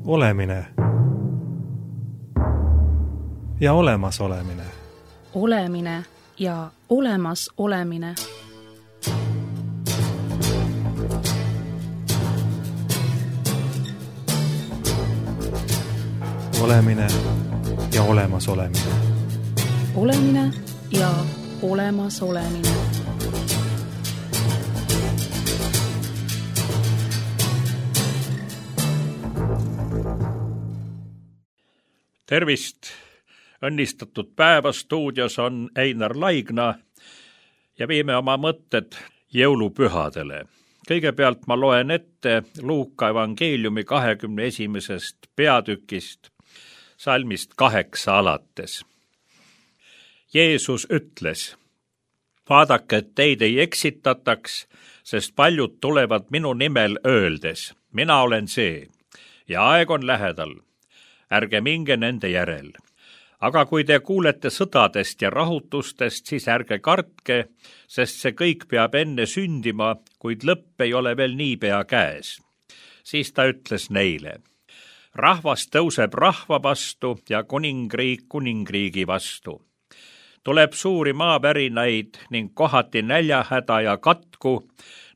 Olemine ja olemasolemine. Olemine ja olemas olemine. Olemine ja olemas olemine. Olemine ja olemas olemine. Tervist! Õnnistatud päeva stuudios on Einar Laigna ja viime oma mõtted jõulupühadele. Kõigepealt ma loen ette Luuka evangeeliumi 21. peatükist, salmist 8 alates. Jeesus ütles: vaadake, et teid ei eksitataks, sest paljud tulevad minu nimel öeldes: mina olen see ja aeg on lähedal. Ärge minge nende järel. Aga kui te kuulete sõdadest ja rahutustest, siis ärge kartke, sest see kõik peab enne sündima, kuid lõpp ei ole veel niipea käes. Siis ta ütles neile: rahvas tõuseb rahva vastu ja kuningriik kuningriigi vastu. Tuleb suuri maavärinaid ning kohati näljahäda ja katku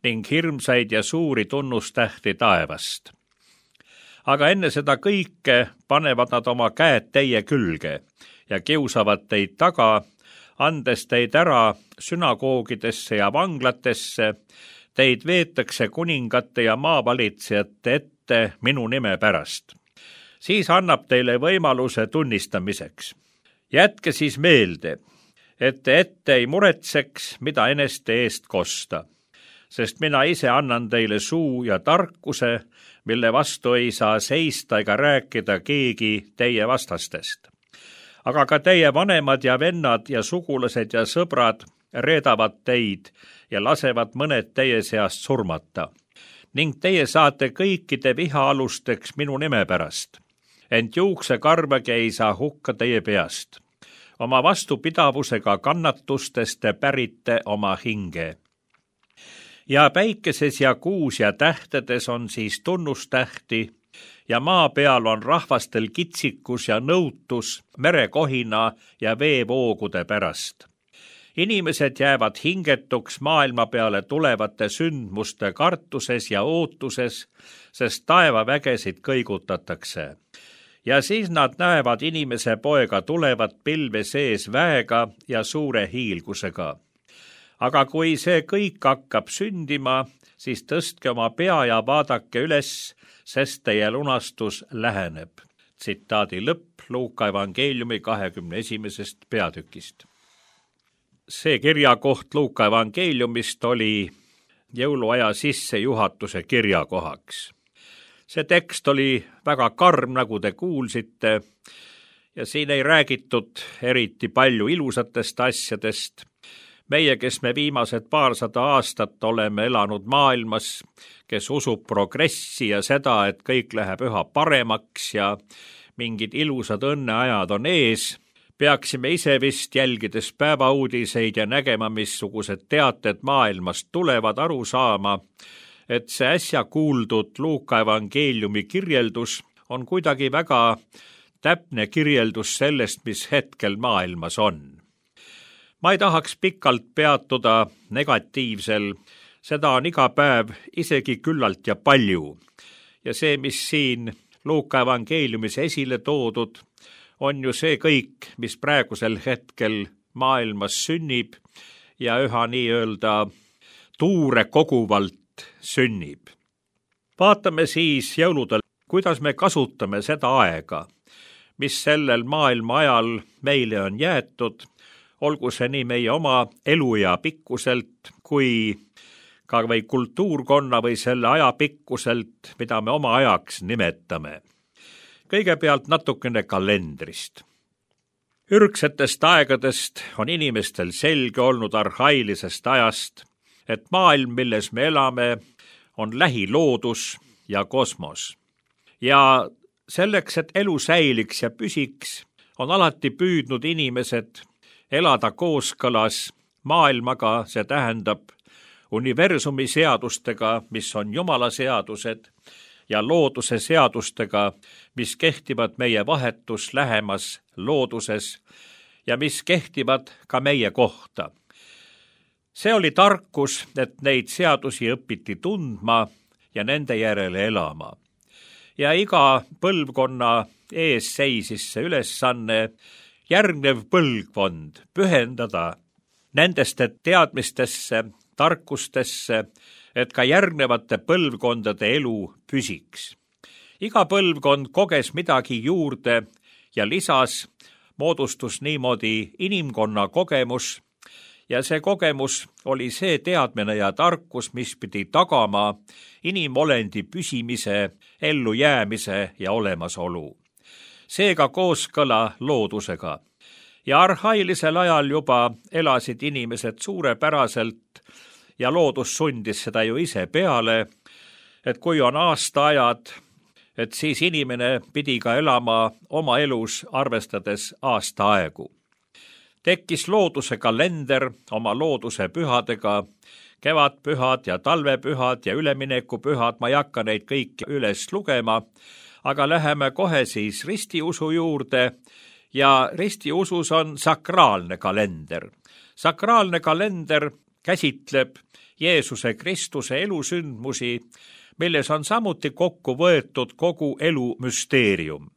ning hirmsaid ja suuri tunnustähti taevast. Aga enne seda kõike panevad nad oma käed teie külge ja kiusavad teid taga, andes teid ära sünagoogidesse ja vanglatesse. Teid veetakse kuningate ja maavalitsejate ette minu nime pärast. Siis annab teile võimaluse tunnistamiseks. Jätke siis meelde, et te ette ei muretseks, mida eneste eest kosta, sest mina ise annan teile suu ja tarkuse, mille vastu ei saa seista ega rääkida keegi teie vastastest. Aga ka teie vanemad ja vennad ja sugulased ja sõbrad reedavad teid ja lasevad mõned teie seast surmata. Ning teie saate kõikide vihaalusteks minu nime pärast. Ent juuksekarvagi ei saa hukka teie peast. Oma vastupidavusega kannatustest te pärite oma hinge. Ja päikeses ja kuus ja tähtedes on siis tunnustähti ja maa peal on rahvastel kitsikus ja nõutus merekohina ja veevoogude pärast. Inimesed jäävad hingetuks maailma peale tulevate sündmuste kartuses ja ootuses, sest taevavägesid kõigutatakse. Ja siis nad näevad inimese poega tulevat pilve sees väega ja suure hiilgusega. Aga kui see kõik hakkab sündima, siis tõstke oma pea ja vaadake üles, sest teie lunastus läheneb. Tsitaadi lõpp Luuka evangeeliumi 21. peatükist. See kirjakoht Luuka evangeeliumist oli jõuluaja sissejuhatuse kirjakohaks. See tekst oli väga karm, nagu te kuulsite, ja siin ei räägitud eriti palju ilusatest asjadest. Meie, kes me viimased paarsada aastat oleme elanud maailmas, kes usub progressi ja seda, et kõik läheb üha paremaks ja mingid ilusad õnneajad on ees, peaksime ise vist jälgides päevauudiseid ja nägema, missugused teated maailmast tulevad, aru saama, et see äsja kuuldud Luuka evangeeliumi kirjeldus on kuidagi väga täpne kirjeldus sellest, mis hetkel maailmas on. Ma ei tahaks pikalt peatuda negatiivsel, seda on iga päev isegi küllalt ja palju. Ja see, mis siin Luuka evangeeliumis esile toodud, on ju see kõik, mis praegusel hetkel maailmas sünnib ja üha nii-öelda tuure koguvalt sünnib. Vaatame siis jõuludel, kuidas me kasutame seda aega, mis sellel maailma ajal meile on jäetud, olgu see nii meie oma eluea pikkuselt kui ka või kultuurkonna või selle aja pikkuselt, mida me oma ajaks nimetame. Kõigepealt natukene kalendrist. Ürgsetest aegadest on inimestel selge olnud arhailisest ajast, et maailm, milles me elame, on lähiloodus ja kosmos. Ja selleks, et elu säiliks ja püsiks, on alati püüdnud inimesed elada kooskõlas maailmaga, see tähendab universumi seadustega, mis on Jumala seadused, ja looduse seadustega, mis kehtivad meie vahetus lähemas looduses ja mis kehtivad ka meie kohta. See oli tarkus, et neid seadusi õpiti tundma ja nende järele elama. Ja iga põlvkonna ees seisis see ülesanne järgnev põlvkond pühendada nendeste teadmistesse, tarkustesse, et ka järgnevate põlvkondade elu püsiks. Iga põlvkond koges midagi juurde ja lisas, moodustus niimoodi inimkonna kogemus ja see kogemus oli see teadmine ja tarkus, mis pidi tagama inimolendi püsimise, ellujäämise ja olemasolu. Seega kooskõla loodusega. Ja arhailisel ajal juba elasid inimesed suurepäraselt ja loodus sundis seda ju ise peale, et kui on aastaajad, et siis inimene pidi ka elama oma elus arvestades aastaaegu. Tekkis looduse kalender oma looduse pühadega, kevadpühad ja talvepühad ja üleminekupühad, ma ei hakka neid kõiki üles lugema, aga läheme kohe siis ristiusu juurde ja ristiusus on sakraalne kalender. Sakraalne kalender käsitleb Jeesuse Kristuse elusündmusi, milles on samuti kokku võetud kogu elu müsteerium.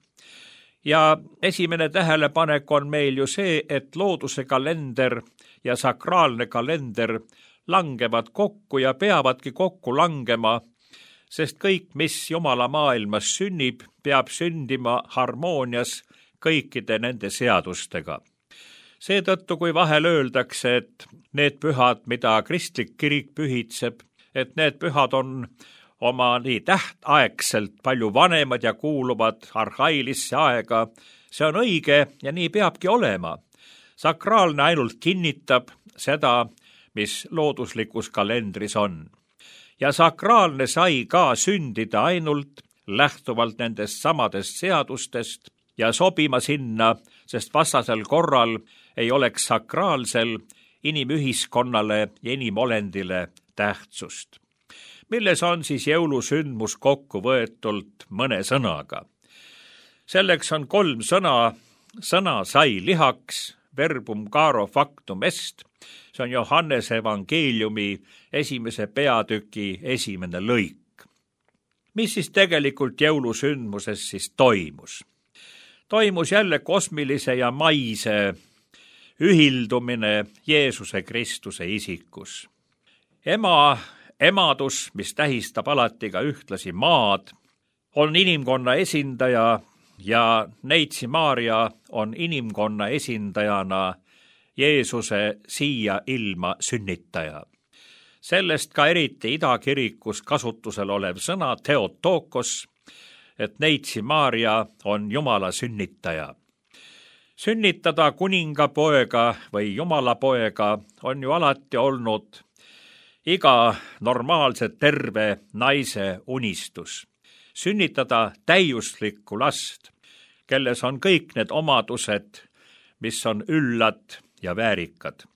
Ja esimene tähelepanek on meil ju see, et looduse kalender ja sakraalne kalender langevad kokku ja peavadki kokku langema, sest kõik, mis Jumala maailmas sünnib, peab sündima harmoonias kõikide nende seadustega. Seetõttu, kui vahel öeldakse, et need pühad, mida kristlik kirik pühitseb, et need pühad on oma nii tähtaegselt palju vanemad ja kuuluvad arhailisse aega, see on õige ja nii peabki olema. Sakraalne ainult kinnitab seda, mis looduslikus kalendris on. Ja sakraalne sai ka sündida ainult lähtuvalt nendest samadest seadustest ja sobima sinna, sest vastasel korral ei oleks sakraalsel inimühiskonnale ja inimolendile tähtsust. Milles on siis jõulusündmus kokku võetult mõne sõnaga? Selleks on 3 sõna. Sõna sai lihaks, verbum caro factum est. See on Johannese evangeeliumi 1. peatüki 1. lõik. Mis siis tegelikult jõulusündmuses siis toimus? Toimus jälle kosmilise ja maise ühildumine Jeesuse Kristuse isikus. Emadus, mis tähistab alati ka ühtlasi maad, on inimkonna esindaja ja Neitsi Maarja on inimkonna esindajana Jeesuse siia ilma sünnitaja. Sellest ka eriti idakirikus kasutusel olev sõna Theotokos, et Neitsi Maarja on Jumala sünnitaja. Sünnitada kuningapoega või Jumalapoega on ju alati olnud iga normaalse terve naise unistus. Sünnitada täiuslikku last, kelles on kõik need omadused, mis on üllad ja väärikad.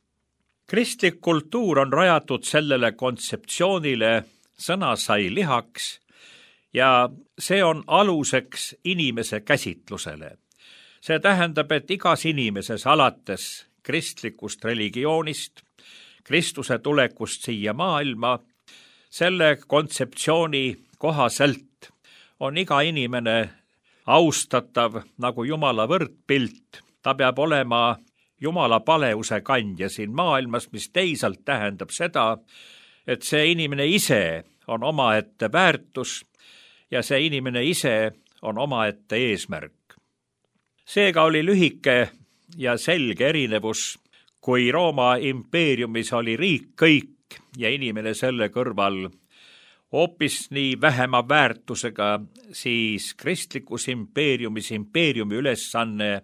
Kristlik kultuur on rajatud sellele kontseptsioonile, sõna sai lihaks, ja see on aluseks inimese käsitlusele. See tähendab, et igas inimeses alates kristlikust religioonist, Kristuse tulekust siia maailma, selle kontseptsiooni kohaselt on iga inimene austatav nagu Jumala võrdpilt. Ta peab olema Jumala paleuse kandja siin maailmas, mis teisalt tähendab seda, et see inimene ise on omaette väärtus ja see inimene ise on omaette eesmärk. Seega oli lühike ja selge erinevus, kui Rooma impeeriumis oli riik kõik ja inimene selle kõrval hoopis nii vähema väärtusega, siis kristlikus impeeriumis impeeriumi ülesanne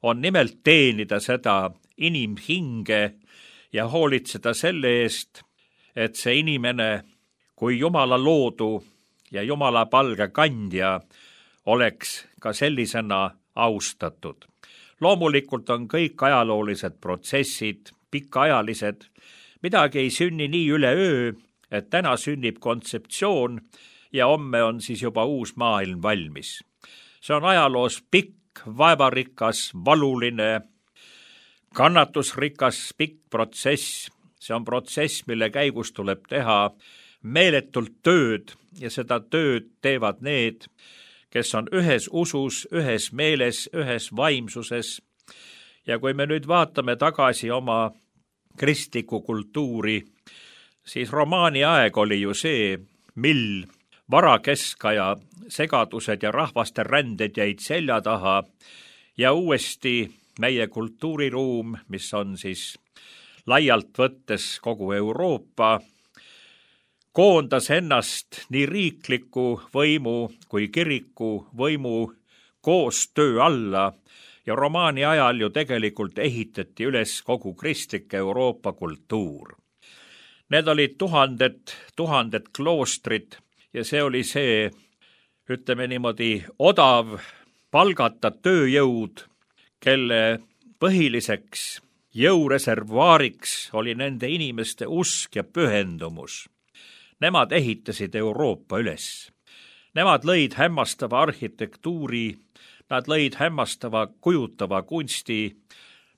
on nimelt teenida seda inimhinge ja hoolitseda selle eest, et see inimene kui Jumala loodu ja Jumala palge kandja oleks ka sellisena austatud. Loomulikult on kõik ajaloolised protsessid pikaajalised, midagi ei sünni nii üleöö, et täna sünnib kontseptsioon ja homme on siis juba uus maailm valmis. See on ajaloos pikk, vaevarikas, valuline, kannatusrikas, pikk protsess. See on protsess, mille käigus tuleb teha meeletult tööd ja seda tööd teevad need, kes on ühes usus, ühes meeles, ühes vaimsuses. Ja kui me nüüd vaatame tagasi oma kristlikku kultuuri, siis romaani aeg oli ju see, mil varakeskaja segadused ja rahvaste ränded jäid selja taha ja uuesti meie kultuuriruum, mis on siis laialt võttes kogu Euroopa, koondas ennast nii riikliku võimu kui kiriku võimu koostöö alla ja romaani ajal ju tegelikult ehitati üles kogu kristlik Euroopa kultuur. Need olid tuhanded kloostrid ja see oli see, ütleme niimoodi, odav palgata tööjõud, kelle põhiliseks jõureservaariks oli nende inimeste usk ja pühendumus. Nemad ehitasid Euroopa üles. Nemad lõid hämmastava arhitektuuri, nad lõid hämmastava kujutava kunsti,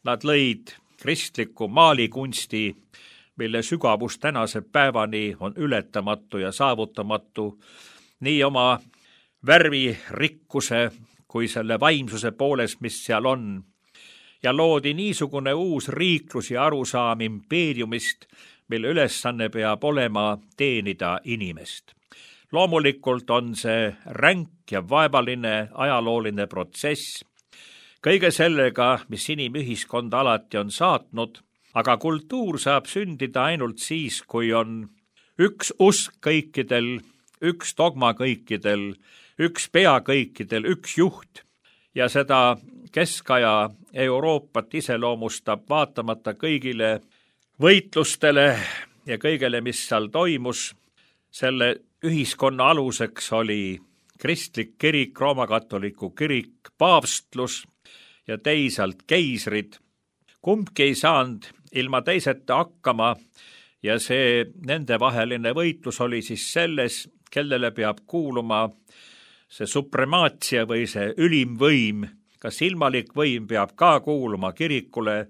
nad lõid kristliku maalikunsti, mille sügavus tänase päevani on ületamatu ja saavutamatu, nii oma värvirikkuse kui selle vaimsuse poolest, mis seal on. Ja loodi niisugune uus riiklus ja arusaam impeeriumist, mille ülesanne peab olema teenida inimest. Loomulikult on see ränk ja vaevaline ajalooline protsess, kõige sellega, mis inimühiskonda alati on saatnud, aga kultuur saab sündida ainult siis, kui on üks usk kõikidel, üks dogma kõikidel, üks pea kõikidel, üks juht ja seda keskaja Euroopat iseloomustab vaatamata kõigile võitlustele ja kõigele, mis seal toimus. Selle ühiskonna aluseks oli kristlik kirik, roomakatoliku kirik, paavstlus ja teisalt keisrid. Kumbki ei saanud ilma teiseta hakkama ja see nendevaheline võitlus oli siis selles, kellele peab kuuluma see supremaatsia või see ülim võim, kas ilmalik võim peab ka kuuluma kirikule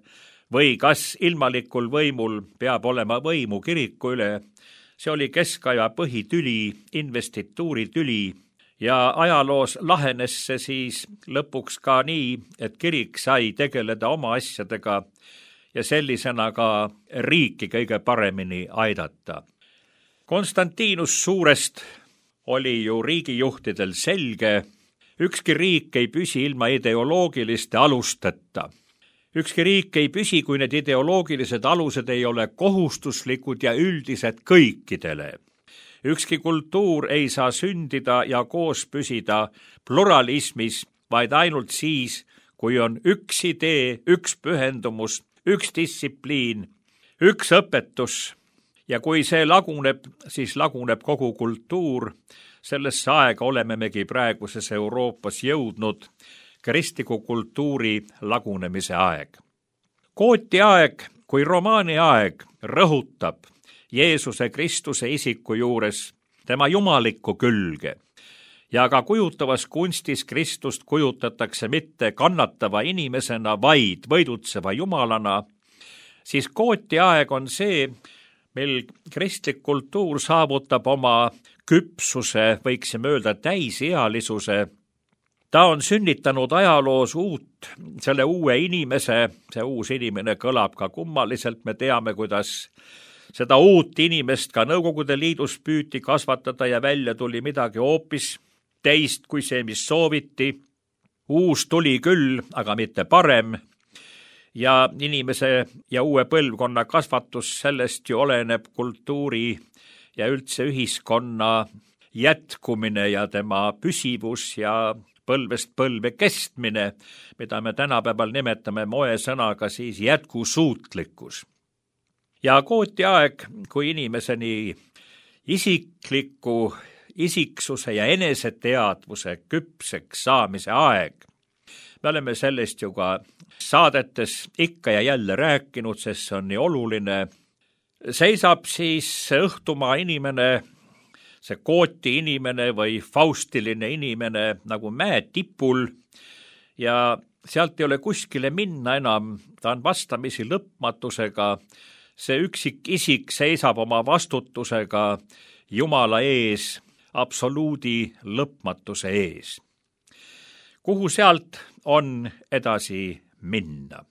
või kas ilmalikul võimul peab olema võimu kiriku üle. See oli keskaja põhitüli, investituuritüli ja ajaloos lahenes see siis lõpuks ka nii, et kirik sai tegeleda oma asjadega ja sellisena ka riiki kõige paremini aidata. Konstantinus Suurest oli ju riigijuhtidel selge, ükski riik ei püsi ilma ideoloogiliste alusteta. Ükski riik ei püsi, kui need ideoloogilised alused ei ole kohustuslikud ja üldised kõikidele. Ükski kultuur ei saa sündida ja koos püsida pluralismis, vaid ainult siis, kui on üks idee, üks pühendumus, üks distsipliin, üks õpetus. Ja kui see laguneb, siis laguneb kogu kultuur. Sellesse aega olemegi praeguses Euroopas jõudnud kristliku kultuuri lagunemise aeg. Gooti aeg kui romaani aeg rõhutab Jeesuse Kristuse isiku juures tema jumalikku külge. Ja ka kujutavas kunstis Kristust kujutatakse mitte kannatava inimesena, vaid võidutseva jumalana, siis Gooti aeg on see, mil kristlik kultuur saavutab oma küpsuse, võiksime öelda täisealisuse. Ta on sünnitanud ajaloos selle uue inimese, see uus inimene kõlab ka kummaliselt, me teame, kuidas seda uut inimest ka Nõukogude Liidus püüti kasvatada ja välja tuli midagi hoopis teist kui see, mis sooviti. Uus tuli küll, aga mitte parem. Ja inimese ja uue põlvkonna kasvatus, sellest ju oleneb kultuuri ja üldse ühiskonna jätkumine ja tema püsivus ja põlvest põlve kestmine, mida me tänapäeval nimetame moesõnaga siis jätkusuutlikkus. Ja Gooti aeg, kui inimeseni isikliku isiksuse ja eneseteadvuse küpseks saamise aeg. Me oleme sellest ju ka saadetes ikka ja jälle rääkinud, sest see on nii oluline. Seisab siis õhtumaa inimene see kooti inimene või faustiline inimene nagu mäe tipul ja sealt ei ole kuskile minna enam, ta on vastamisi lõpmatusega, see üksik isik seisab oma vastutusega Jumala ees, absoluudi lõpmatuse ees. Kuhu sealt on edasi minna?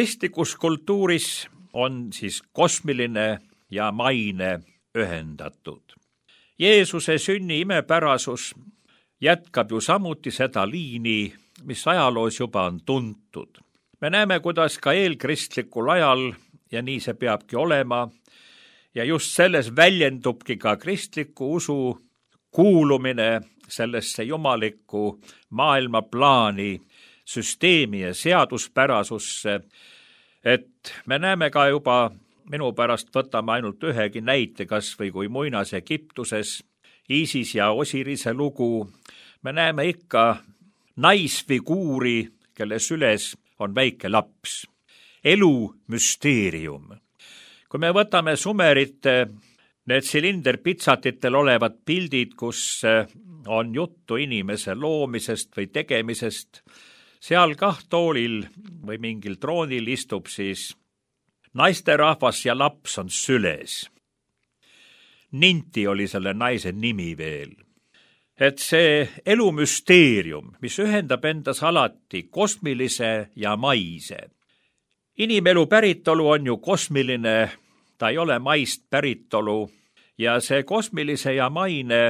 Kristlikus kultuuris on siis kosmiline ja maine ühendatud. Jeesuse sünni imepärasus jätkab ju samuti seda liini, mis ajaloos juba on tuntud. Me näeme, kuidas ka eelkristlikul ajal, ja nii see peabki olema, ja just selles väljendubki ka kristliku usu kuulumine sellesse jumalikku maailmaplaani, süsteemi ja seaduspärasusse, et me näeme ka juba, minu pärast võtame ainult ühegi näite, kas või kui muinas Egiptuses, Iisis ja Osirise lugu, me näeme ikka naisfiguuri, kelle süles on väike laps. Elu müsteerium. Kui me võtame Sumerite, need silinderpitsatitel olevad pildid, kus on juttu inimese loomisest või tegemisest, seal kah toolil või mingil troonil istub siis naisterahvas ja laps on süles. Ninti oli selle naise nimi veel. Et see elumüsteerium, mis ühendab endas alati kosmilise ja maise. Inimelu päritolu on ju kosmiline, ta ei ole maist päritolu ja see kosmilise ja maine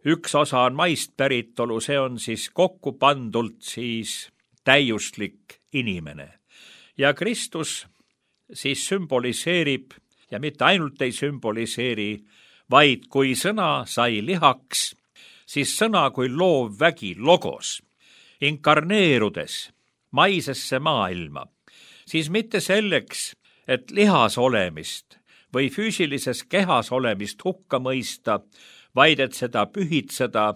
üks osa on maist päritolu, see on siis kokku pandult siis täiuslik inimene. Ja Kristus siis sümboliseerib ja mitte ainult ei sümboliseeri, vaid kui sõna sai lihaks, siis sõna kui loov vägi logos, inkarneerudes maisesse maailma, siis mitte selleks, et lihas olemist või füüsilises kehas olemist hukka mõista, vaid et seda pühitseda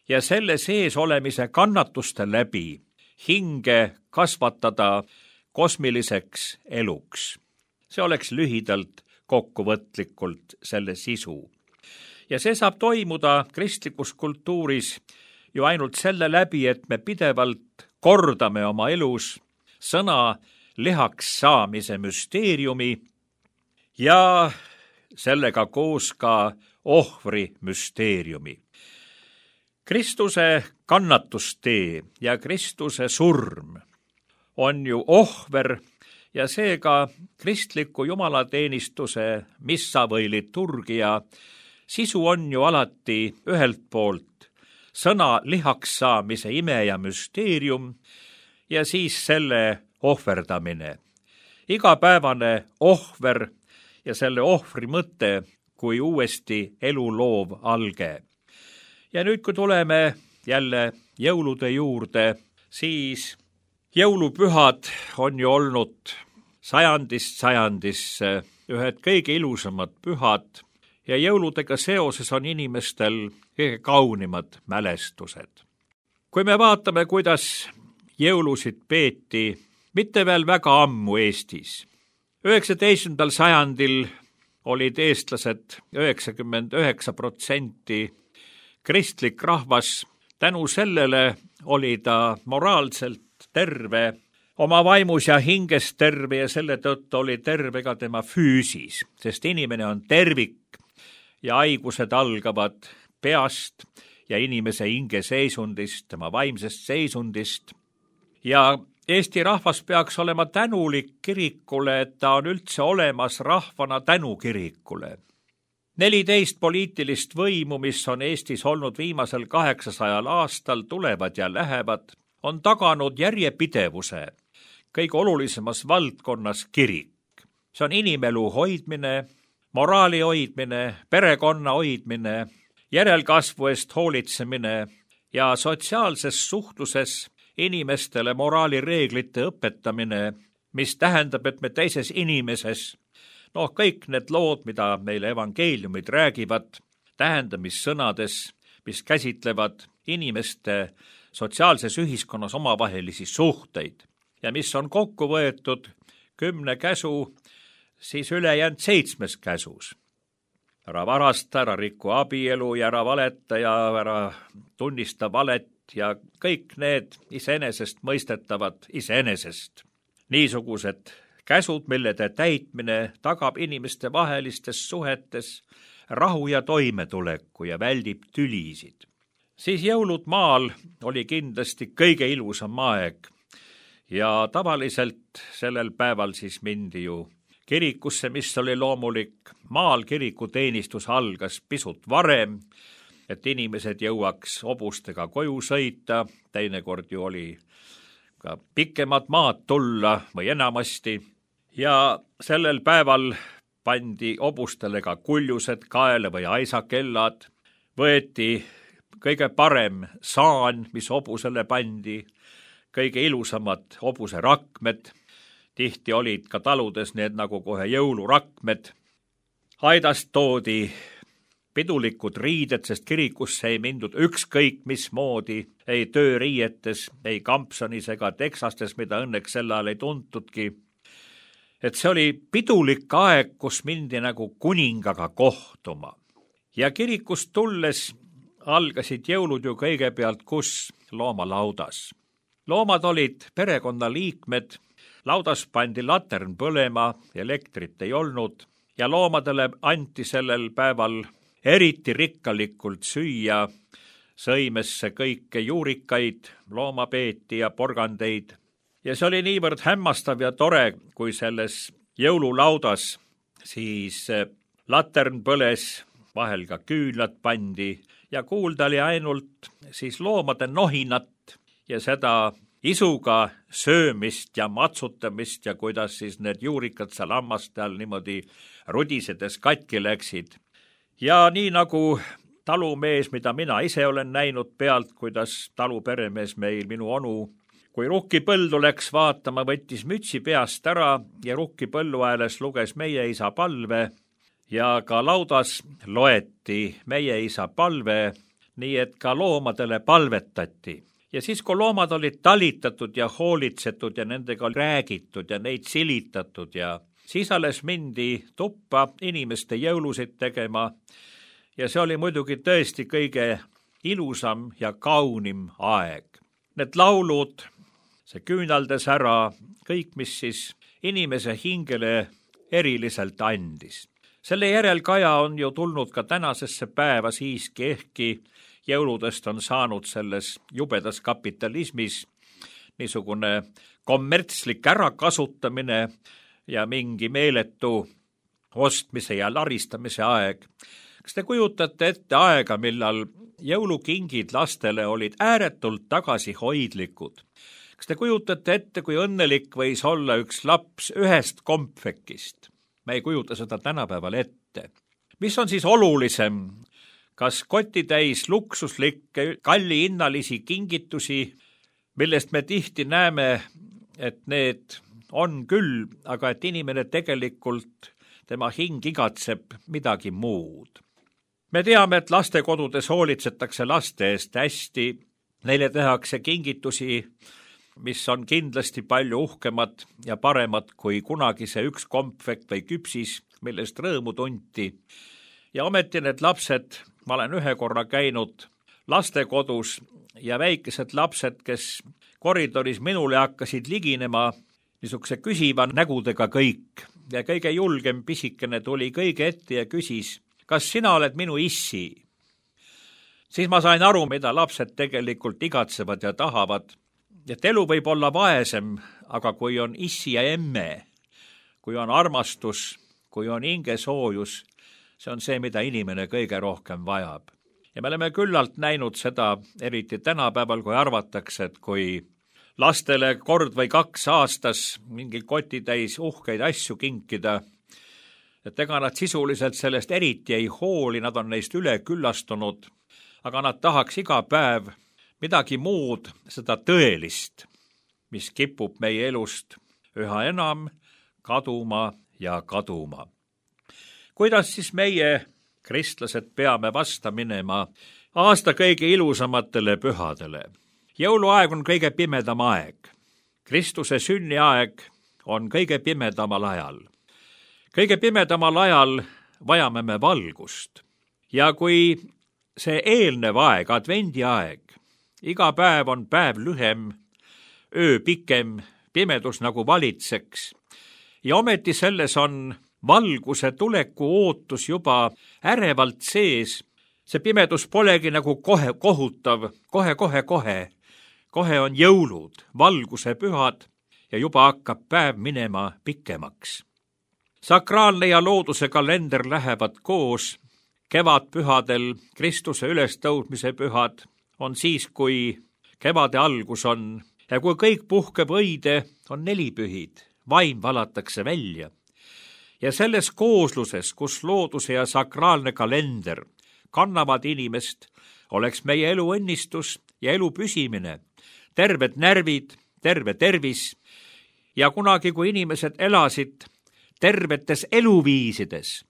ja selle sees olemise kannatuste läbi hinge kasvatada kosmiliseks eluks. See oleks lühidalt kokkuvõtlikult selle sisu. Ja see saab toimuda kristlikus kultuuris ju ainult selle läbi, et me pidevalt kordame oma elus sõna lihaks saamise müsteeriumi ja sellega koos ka ohvri müsteeriumi. Kristuse kannatustee ja Kristuse surm on ju ohver ja seega kristliku jumalateenistuse missa või liturgia sisu on ju alati ühelt poolt sõna lihaks saamise ime ja müsteerium ja siis selle ohverdamine. Igapäevane ohver ja selle ohvri mõte kui uuesti elu loov alge. Ja nüüd, kui tuleme jälle jõulude juurde, siis jõulupühad on ju olnud sajandist sajandisse ühed kõige ilusamad pühad ja jõuludega seoses on inimestel kõige kaunimad mälestused. Kui me vaatame, kuidas jõulusid peeti mitte veel väga ammu Eestis. 19. sajandil olid eestlased 99% kristlik rahvas. Tänu sellele oli ta moraalselt terve, oma vaimus ja hinges terve ja selle tõttu oli terve ka tema füüsis, sest inimene on tervik ja haigused algavad peast ja inimese hinge seisundist, tema vaimsest seisundist. Ja Eesti rahvas peaks olema tänulik kirikule, et ta on üldse olemas rahvana tänu kirikule. 14 poliitilist võimu, mis on Eestis olnud viimasel 800 aastal, tulevad ja lähevad, on taganud järjepidevuse kõige olulisemas valdkonnas kirik. See on inimelu hoidmine, moraali hoidmine, perekonna hoidmine, järelkasvu eest hoolitsemine ja sotsiaalses suhtluses inimestele moraalireeglite õpetamine, mis tähendab, et me teises inimeses, kõik need lood, mida meile evangeeliumid räägivad, tähendamissõnades, mis käsitlevad inimeste sotsiaalses ühiskonnas omavahelisi suhteid ja mis on kokku võetud 10 käsu, siis ülejäänud 7 käsus. Ära varasta, ära riku abielu ja ära valeta ja ära tunnista valet ja kõik need iseenesest mõistetavad iseenesest. Niisugused käsud, millede täitmine tagab inimeste vahelistes suhetes rahu ja toimetuleku ja väldib tülisid. Siis jõulud maal oli kindlasti kõige ilusam aeg ja tavaliselt sellel päeval siis mindi ju kirikusse, mis oli loomulik. Maal kirikuteenistus algas pisut varem, et inimesed jõuaks hobustega koju sõita, teinekord ju oli ka pikemad maad tulla või enamasti. Ja sellel päeval pandi hobustele ka kuljused kaela või aisakellad, võeti kõige parem saan, mis hobusele pandi, kõige ilusamad hobuse rakmed, tihti olid ka taludes need nagu kohe jõulurakmed. Aidast toodi pidulikud riided, sest kirikusse ei mindud ükskõik mismoodi, ei tööriietes, ei kampsonis ega teksastes, mida õnneks sel ajal ei tuntudki. Et see oli pidulik aeg, kus mindi nagu kuningaga kohtuma. Ja kirikust tulles algasid jõulud ju kõigepealt kus? Loomalaudas. Loomad olid perekonnaliikmed, laudas pandi latern põlema, elektrit ei olnud ja loomadele anti sellel päeval eriti rikkalikult süüa, sõimesse kõike juurikaid, loomapeeti ja porgandeid. Ja see oli niivõrd hämmastav ja tore, kui selles jõululaudas siis latern põles, vahel ka küünlad pandi ja kuulda oli ainult siis loomade nohinat ja seda isuga söömist ja matsutamist ja kuidas siis need juurikad seal hammaste all niimoodi rudisedes katki läksid. Ja nii nagu talumees, mida mina ise olen näinud pealt, kuidas taluperemees meil, minu onu, kui rukkipõldu läks vaatama, võttis mütsi peast ära ja rukkipõllu ääles luges meie isa palve ja ka laudas loeti meie isa palve, nii et ka loomadele palvetati. Ja siis, kui loomad olid talitatud ja hoolitsetud ja nendega räägitud ja neid silitatud ja siis alles mindi tuppa inimeste jõulusid tegema ja see oli muidugi tõesti kõige ilusam ja kaunim aeg. Need laulud see küünaldas ära kõik, mis siis inimese hingele eriliselt andis. Selle järel Kaja on ju tulnud ka tänasesse päeva siiski, ehkki jõuludest on saanud selles jubedas kapitalismis niisugune kommertslik ärakasutamine ja mingi meeletu ostmise ja laristamise aeg. Kas te kujutate ette aega, millal jõulukingid lastele olid ääretult tagasihoidlikud? Kas te kujutate ette, kui õnnelik võis olla üks laps ühest kompvekist? Me ei kujuta seda tänapäeval ette. Mis on siis olulisem? Kas kotitäis luksuslikke, kallihinnalisi kingitusi, millest me tihti näeme, et need on küll, aga et inimene tegelikult, tema hing igatseb midagi muud. Me teame, et lastekodudes hoolitsetakse laste eest hästi, neile tehakse kingitusi, mis on kindlasti palju uhkemad ja paremad kui kunagi see üks kompvekt või küpsis, millest rõõmu tunti. Ja ometi need lapsed, ma olen ühe korra käinud lastekodus ja väikesed lapsed, kes koridoris minule hakkasid liginema, niisuguse küsiva nägudega kõik. Ja kõige julgem pisikene tuli kõige ette ja küsis, kas sina oled minu issi? Siis ma sain aru, mida lapsed tegelikult igatsevad ja tahavad. Et elu võib olla vaesem, aga kui on issi ja emme, kui on armastus, kui on hingesoojus, see on see, mida inimene kõige rohkem vajab. Ja me oleme küllalt näinud seda, eriti tänapäeval, kui arvatakse, et kui lastele kord või 2 aastas mingi kotitäis uhkeid asju kinkida, et ega nad sisuliselt sellest eriti ei hooli, nad on neist üle küllastunud, aga nad tahaks iga päev midagi muud, seda tõelist, mis kipub meie elust üha enam kaduma ja kaduma. Kuidas siis meie, kristlased, peame vasta minema aasta kõige ilusamatele pühadele? Jõuluaeg on kõige pimedam aeg. Kristuse sünniaeg on kõige pimedamal ajal. Kõige pimedamal ajal vajame me valgust. Ja kui see eelnev aeg, advendiaeg, iga päev on päev lühem, öö pikem, pimedus nagu valitseks, ja ometi selles on valguse tuleku ootus juba ärevalt sees, see pimedus polegi nagu kohe kohutav, kohe on jõulud, valguse pühad ja juba hakkab päev minema pikemaks. Sakraalne ja looduse kalender lähevad koos, kevadpühadel Kristuse ülestõudmise pühad on siis, kui kevade algus on ja kui kõik puhkeb õide, on 4 pühid, vaim valatakse välja. Ja selles koosluses, kus looduse ja sakraalne kalender kannavad inimest, oleks meie elu õnnistus ja elu püsimine, terved närvid, terve tervis ja kunagi, kui inimesed elasid tervetes eluviisides,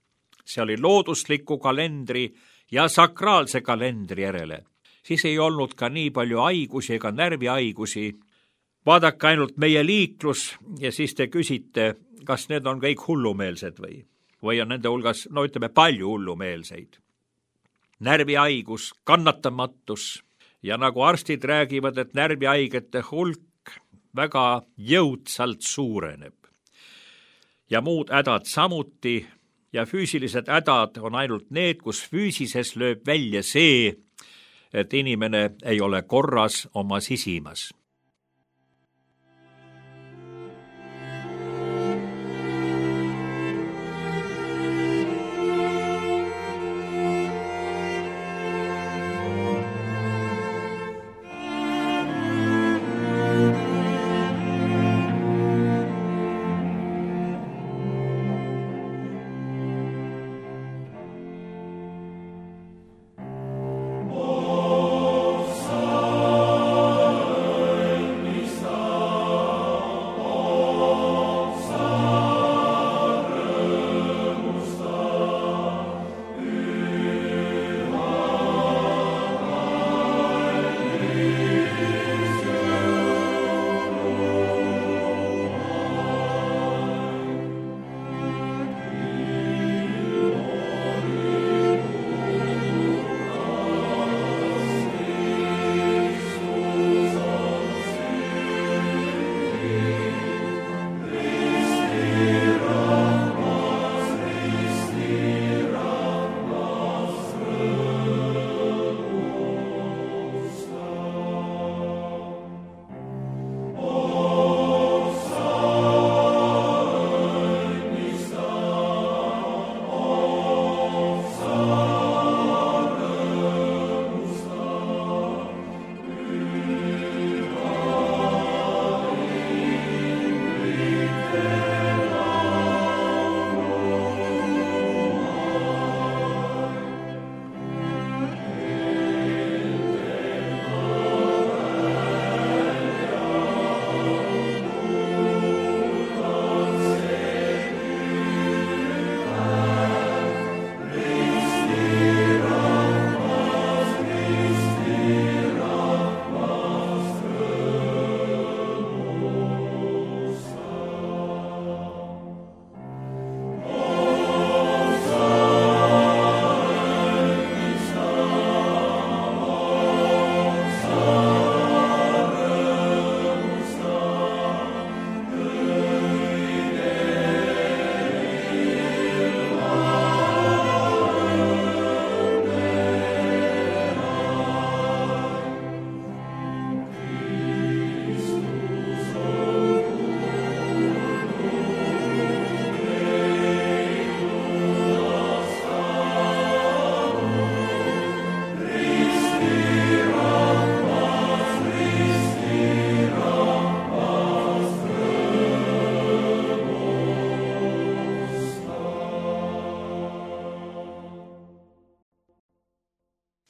see oli loodusliku kalendri ja sakraalse kalendri järele, siis ei olnud ka nii palju haigusi ega närvihaigusi. Vaadake ainult meie liiklus ja siis te küsite, kas need on kõik hullumeelsed või on nende hulgas, palju hullumeelseid. Närvihaigus, kannatamatus ja nagu arstid räägivad, et närvihaigete hulk väga jõudsalt suureneb. Ja muud hädad samuti ja füüsilised hädad on ainult need, kus füüsises lööb välja see, et inimene ei ole korras oma sisimas.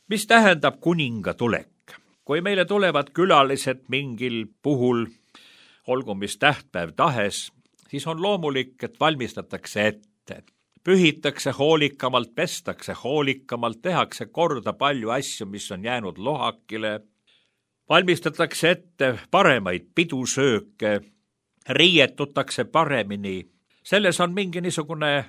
Mis tähendab kuninga tulek? Kui meile tulevad külalised mingil puhul, olgu mis tähtpäev tahes, siis on loomulik, et valmistatakse ette. Pühitakse hoolikamalt, pestakse hoolikamalt, tehakse korda palju asju, mis on jäänud lohakile. Valmistatakse ette paremaid pidusööke, riietutakse paremini. Selles on mingi niisugune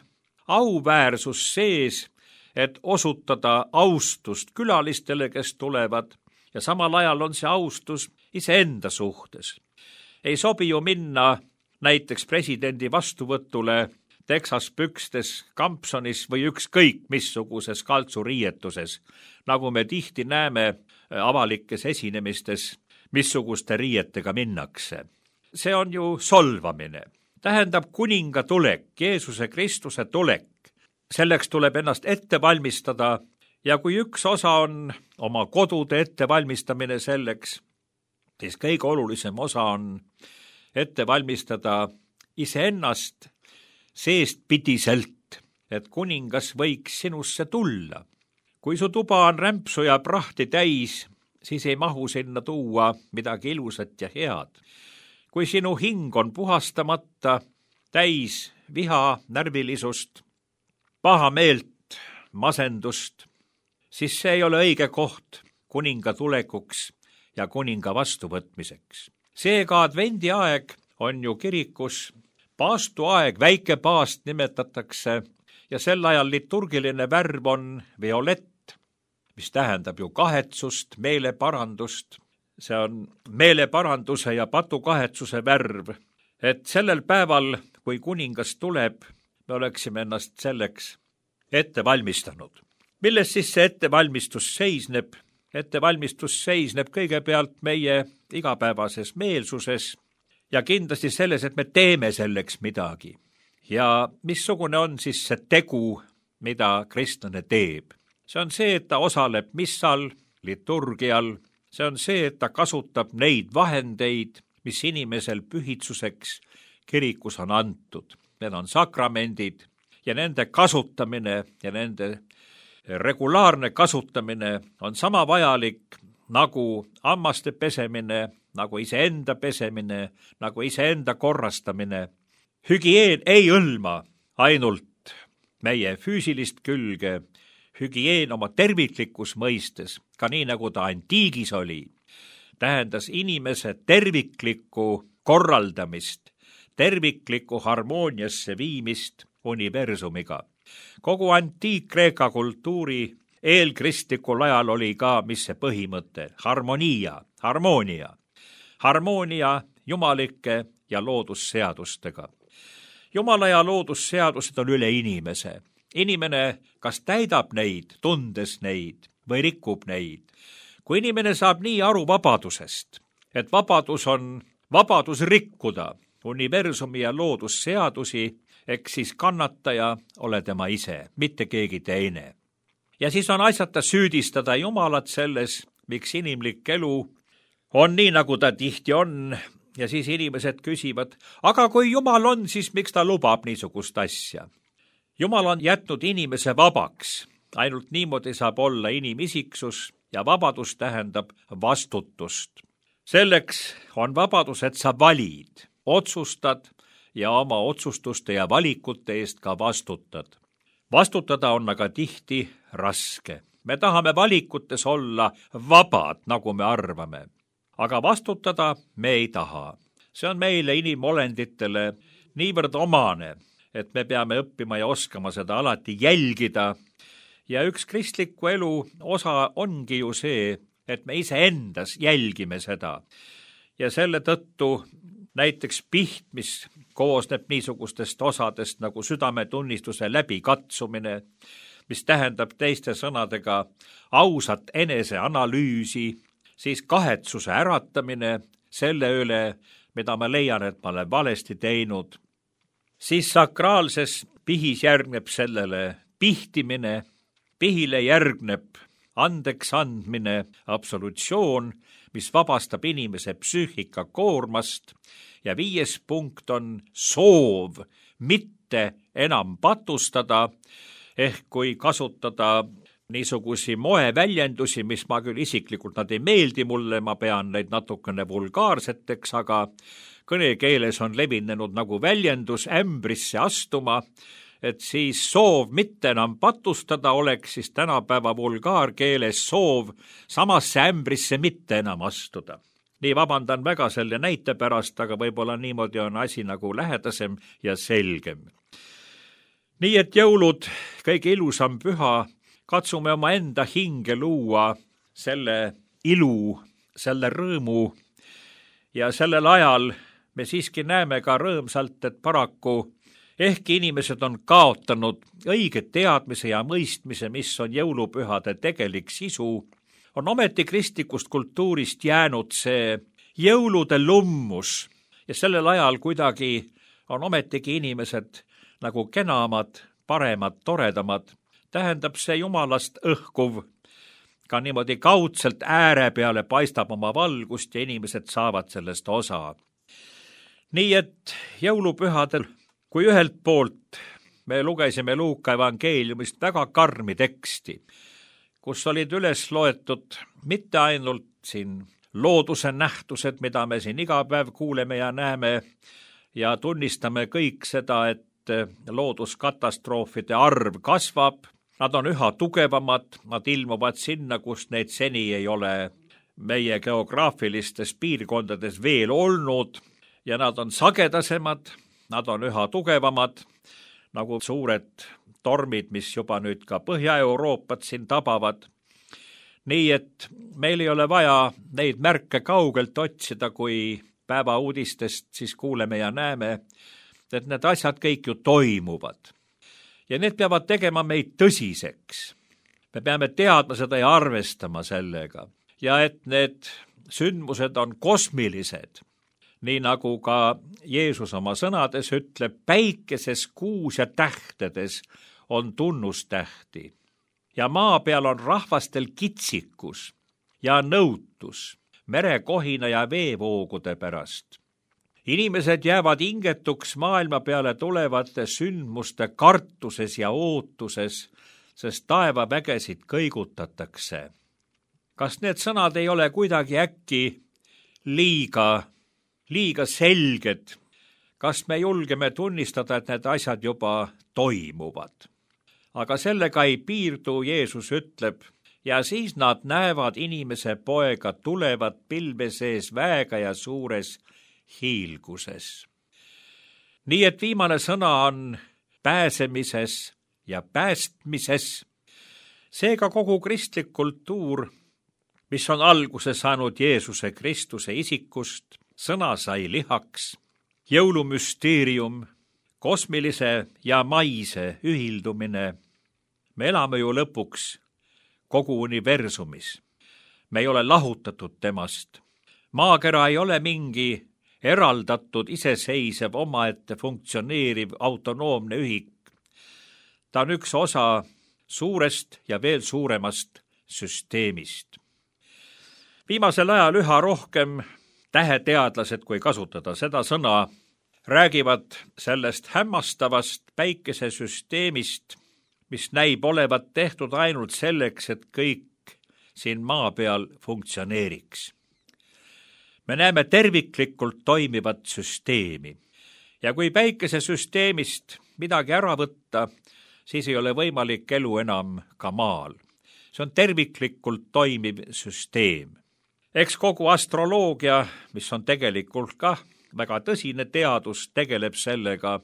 auväärsus sees, et osutada austust külalistele, kes tulevad, ja samal ajal on see austus iseenda suhtes. Ei sobi ju minna näiteks presidendi vastuvõtule teksaspükstes, kampsonis või ükskõik missuguses kaltsuriietuses, nagu me tihti näeme avalikes esinemistes, missuguste riietega minnakse. See on ju solvamine. Tähendab kuninga tulek, Jeesuse Kristuse tulek. Selleks tuleb ennast ette valmistada ja kui üks osa on oma kodude ettevalmistamine selleks, siis kõige olulisem osa on ette valmistada iseennast seestpidiselt, et kuningas võiks sinusse tulla. Kui su tuba on rämpsu ja prahti täis, siis ei mahu sinna tuua midagi ilusat ja head. Kui sinu hing on puhastamata, täis viha, närvilisust, paha meelt, masendust, siis see ei ole õige koht kuninga tulekuks ja kuninga vastuvõtmiseks. Seega advendiaeg on ju kirikus paastuaeg, väike paast nimetatakse, ja sel ajal liturgiline värv on violett, mis tähendab ju kahetsust, meeleparandust. See on meeleparanduse ja patukahetsuse värv, et sellel päeval, kui kuningas tuleb, me oleksime ennast selleks ette valmistanud. Milles siis see ettevalmistus seisneb? Ettevalmistus seisneb kõigepealt meie igapäevases meelsuses ja kindlasti selles, et me teeme selleks midagi. Ja missugune on siis see tegu, mida kristlane teeb? See on see, et ta osaleb missal, liturgial. See on see, et ta kasutab neid vahendeid, mis inimesel pühitsuseks kirikus on antud. Need on sakramendid ja nende kasutamine ja nende regulaarne kasutamine on sama vajalik nagu hammaste pesemine, nagu iseenda pesemine, nagu iseenda korrastamine. Hügieen ei hõlma ainult meie füüsilist külge, hügieen oma terviklikus mõistes, ka nii nagu ta antiigis oli, tähendas inimese terviklikku korraldamist, terviklikku harmooniasse viimist universumiga. Kogu antiik-Kreeka kultuuri eelkristlikul ajal oli ka, mis see põhimõte, harmoonia jumalike ja loodusseadustega. Jumala ja loodusseadused on üle inimese. Inimene kas täidab neid, tundes neid, või rikub neid. Kui inimene saab nii aru vabadusest, et vabadus on vabadus rikkuda universumi ja loodusseadusi, eks siis kannataja ole tema ise, mitte keegi teine. Ja siis on asjata süüdistada Jumalat selles, miks inimlik elu on nii, nagu ta tihti on, ja siis inimesed küsivad, aga kui Jumal on, siis miks ta lubab niisugust asja? Jumal on jätnud inimese vabaks, ainult niimoodi saab olla inimisiksus ja vabadus tähendab vastutust. Selleks on vabadus, et sa valid, otsustad ja oma otsustuste ja valikute eest ka vastutad. Vastutada on aga tihti raske. Me tahame valikutes olla vabad, nagu me arvame, aga vastutada me ei taha. See on meile inimolenditele niivõrd omane, et me peame õppima ja oskama seda alati jälgida. Ja üks kristliku elu osa ongi ju see, et me iseendas jälgime seda. Ja selle tõttu näiteks piht, mis koosneb niisugustest osadest nagu südametunnistuse läbikatsumine, mis tähendab teiste sõnadega ausat eneseanalüüsi, siis kahetsuse äratamine selle üle, mida ma leian, et ma olen valesti teinud. Siis sakraalses pihis järgneb sellele pihtimine, pihile järgneb andeks andmine, absolutsioon, mis vabastab inimese psüühika koormast, ja 5. punkt on soov mitte enam patustada, ehk kui kasutada niisugusi moeväljendusi, mis ma küll isiklikult, nad ei meeldi mulle, ma pean neid natukene vulgaarseteks, aga kõnekeeles on levinenud nagu väljendus ämbrisse astuma, et siis soov mitte enam patustada oleks siis tänapäeva vulgaarkeeles soov samasse ämbrisse mitte enam astuda. Nii vabandan väga selle näite pärast, aga võib-olla niimoodi on asi nagu lähedasem ja selgem. Nii et jõulud, kõige ilusam püha, katsume oma enda hinge luua selle ilu, selle rõõmu ja sellel ajal me siiski näeme ka rõõmsalt, et paraku ehkki inimesed on kaotanud õige teadmise ja mõistmise, mis on jõulupühade tegelik sisu, on ometi kristlikust kultuurist jäänud see jõulude lummus ja sellel ajal kuidagi on ometigi inimesed nagu kenamad, paremad, toredamad. Tähendab see jumalast õhkuv, ka niimoodi kaudselt ääre peale paistab oma valgust ja inimesed saavad sellest osa. Nii et jõulupühadel, kui ühelt poolt me lugesime Luuka evangeeliumist väga karmi teksti, kus olid üles loetud mitte ainult siin looduse nähtused, mida me siin iga päev kuuleme ja näeme ja tunnistame kõik seda, et looduskatastroofide arv kasvab, nad on üha tugevamad, nad ilmuvad sinna, kus neid seni ei ole meie geograafilistes piirkondades veel olnud ja nad on sagedasemad, nad on üha tugevamad, nagu suured tormid, mis juba nüüd ka Põhja-Euroopat siin tabavad. Nii et meil ei ole vaja neid märke kaugelt otsida, kui päevauudistest siis kuuleme ja näeme, et need asjad kõik ju toimuvad. Ja need peavad tegema meid tõsiseks. Me peame teadma seda ja arvestama sellega. Ja et need sündmused on kosmilised, nii nagu ka Jeesus oma sõnades ütleb, päikeses, kuus ja tähtedes on tunnustähti. Ja maa peal on rahvastel kitsikus ja nõutus, merekohina ja veevoogude pärast. Inimesed jäävad hingetuks maailma peale tulevate sündmuste kartuses ja ootuses, sest taevavägesid kõigutatakse. Kas need sõnad ei ole kuidagi äkki liiga selged? Kas me julgeme tunnistada, et need asjad juba toimuvad? Aga sellega ei piirdu, Jeesus ütleb, ja siis nad näevad inimese poega tulevat pilve sees väega ja suures hiilguses. Nii et viimane sõna on pääsemises ja päästmises. Seega kogu kristlik kultuur, mis on alguse saanud Jeesuse Kristuse isikust, sõna sai lihaks, jõulumüsteerium, kosmilise ja maise ühildumine. Me elame ju lõpuks kogu universumis. Me ei ole lahutatud temast. Maakera ei ole mingi eraldatud, iseseisev, omaette funktsioneeriv, autonoomne ühik. Ta on üks osa suurest ja veel suuremast süsteemist. Viimasel ajal üha rohkem täheteadlased, kui kasutada seda sõna, räägivad sellest hämmastavast päikesesüsteemist, mis näib olevat tehtud ainult selleks, et kõik siin maa peal funktsioneeriks. Me näeme terviklikult toimivat süsteemi ja kui päikesesüsteemist midagi ära võtta, siis ei ole võimalik elu enam ka maal. See on terviklikult toimiv süsteem. Eks kogu astroloogia, mis on tegelikult ka väga tõsine teadus, tegeleb sellega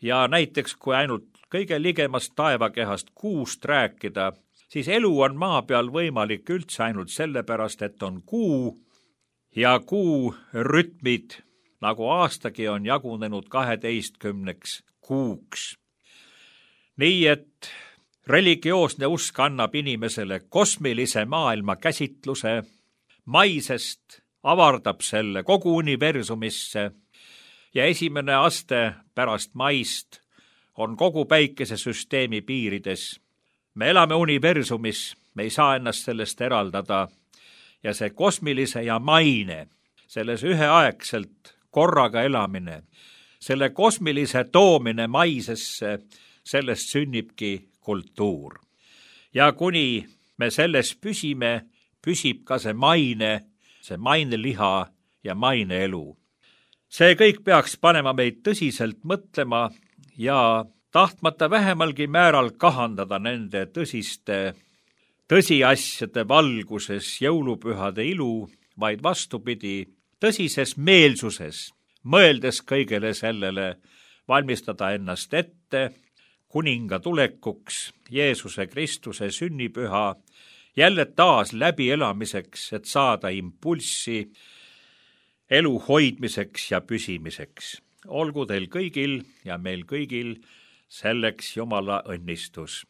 ja näiteks kui ainult kõige ligemast taevakehast Kuust rääkida, siis elu on maa peal võimalik üldse ainult sellepärast, et on Kuu ja Kuu rütmid, nagu aastagi on jagunenud 12 kuuks. Nii et religioosne usk annab inimesele kosmilise maailma käsitluse, maisest avardab selle kogu universumisse ja esimene aste pärast maist on kogu päikesesüsteemi piirides. Me elame universumis, me ei saa ennast sellest eraldada ja see kosmilise ja maine, selles üheaegselt korraga elamine, selle kosmilise toomine maisesse, sellest sünnibki kultuur. ja kuni me selles püsime, püsib ka see maineliha ja maineelu. See kõik peaks panema meid tõsiselt mõtlema ja tahtmata vähemalgi määral kahandada nende tõsiste tõsiasjade valguses jõulupühade ilu, vaid vastupidi, tõsises meelsuses, mõeldes kõigele sellele, valmistada ennast ette kuninga tulekuks, Jeesuse Kristuse sünnipüha, jälle taas läbielamiseks, et saada impulssi elu hoidmiseks ja püsimiseks. Olgu teil kõigil ja meil kõigil selleks Jumala õnnistus.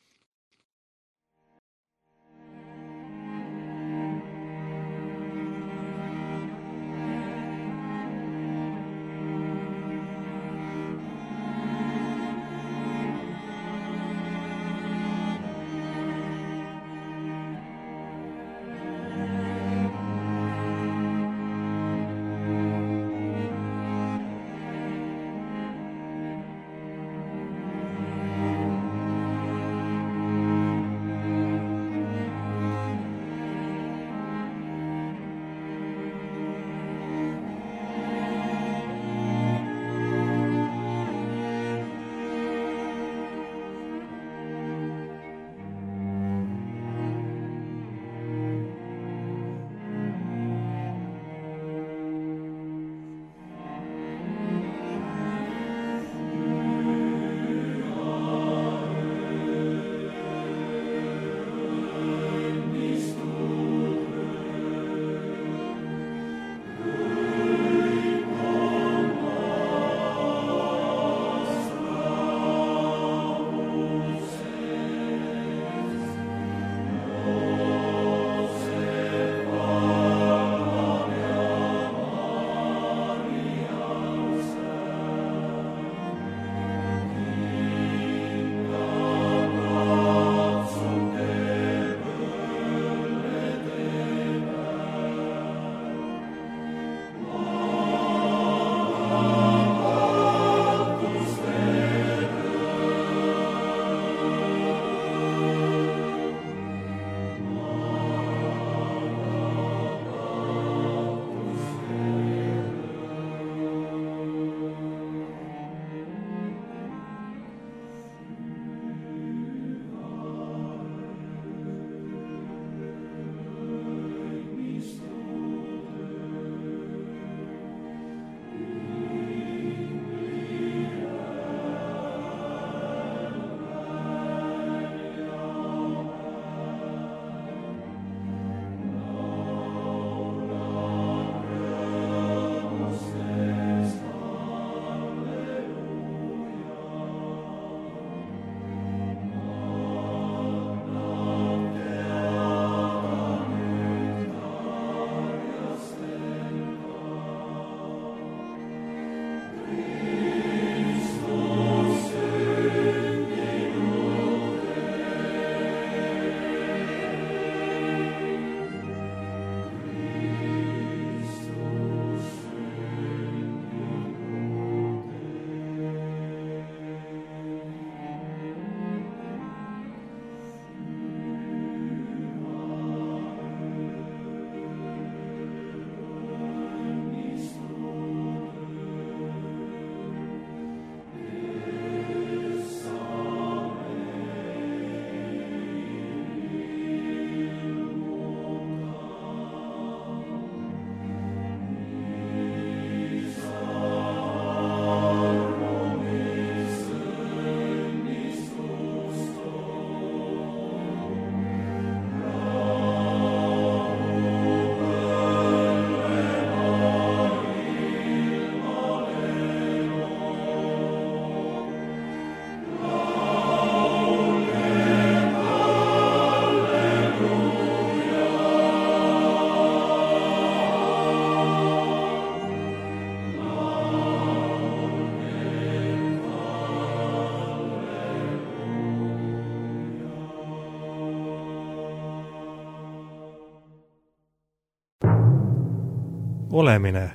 olemine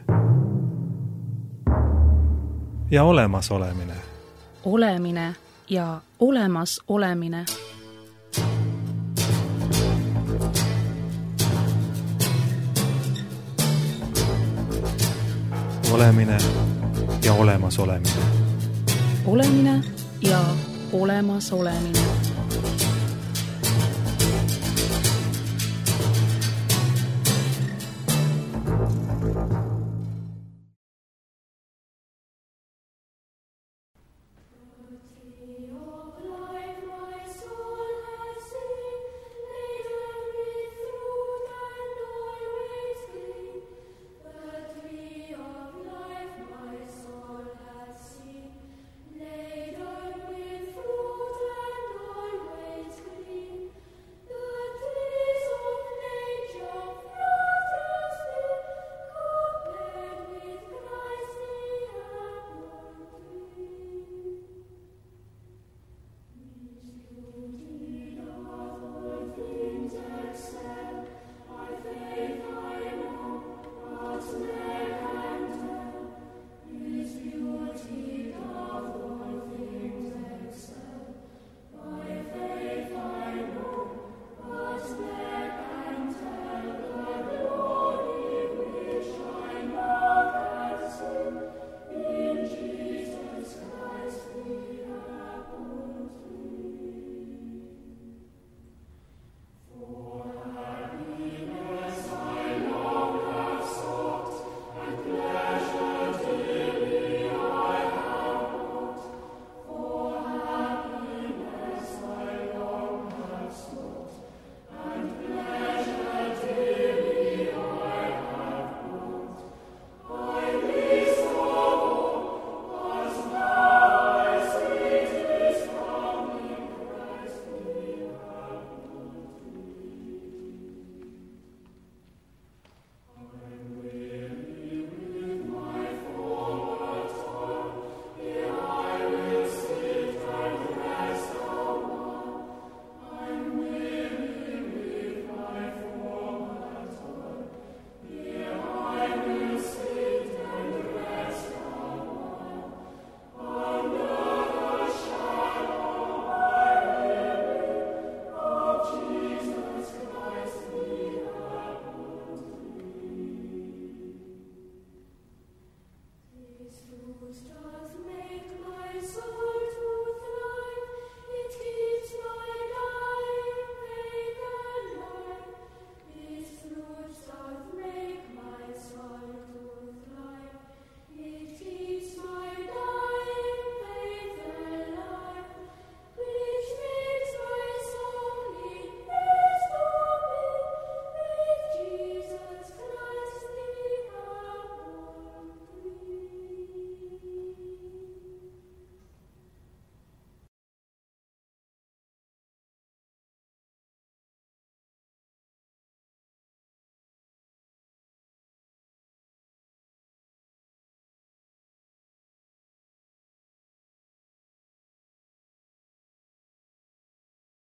ja olemasolemine. Olemine ja olemas olemine. olemine ja olemasolemine. Olemine ja olemasolemine.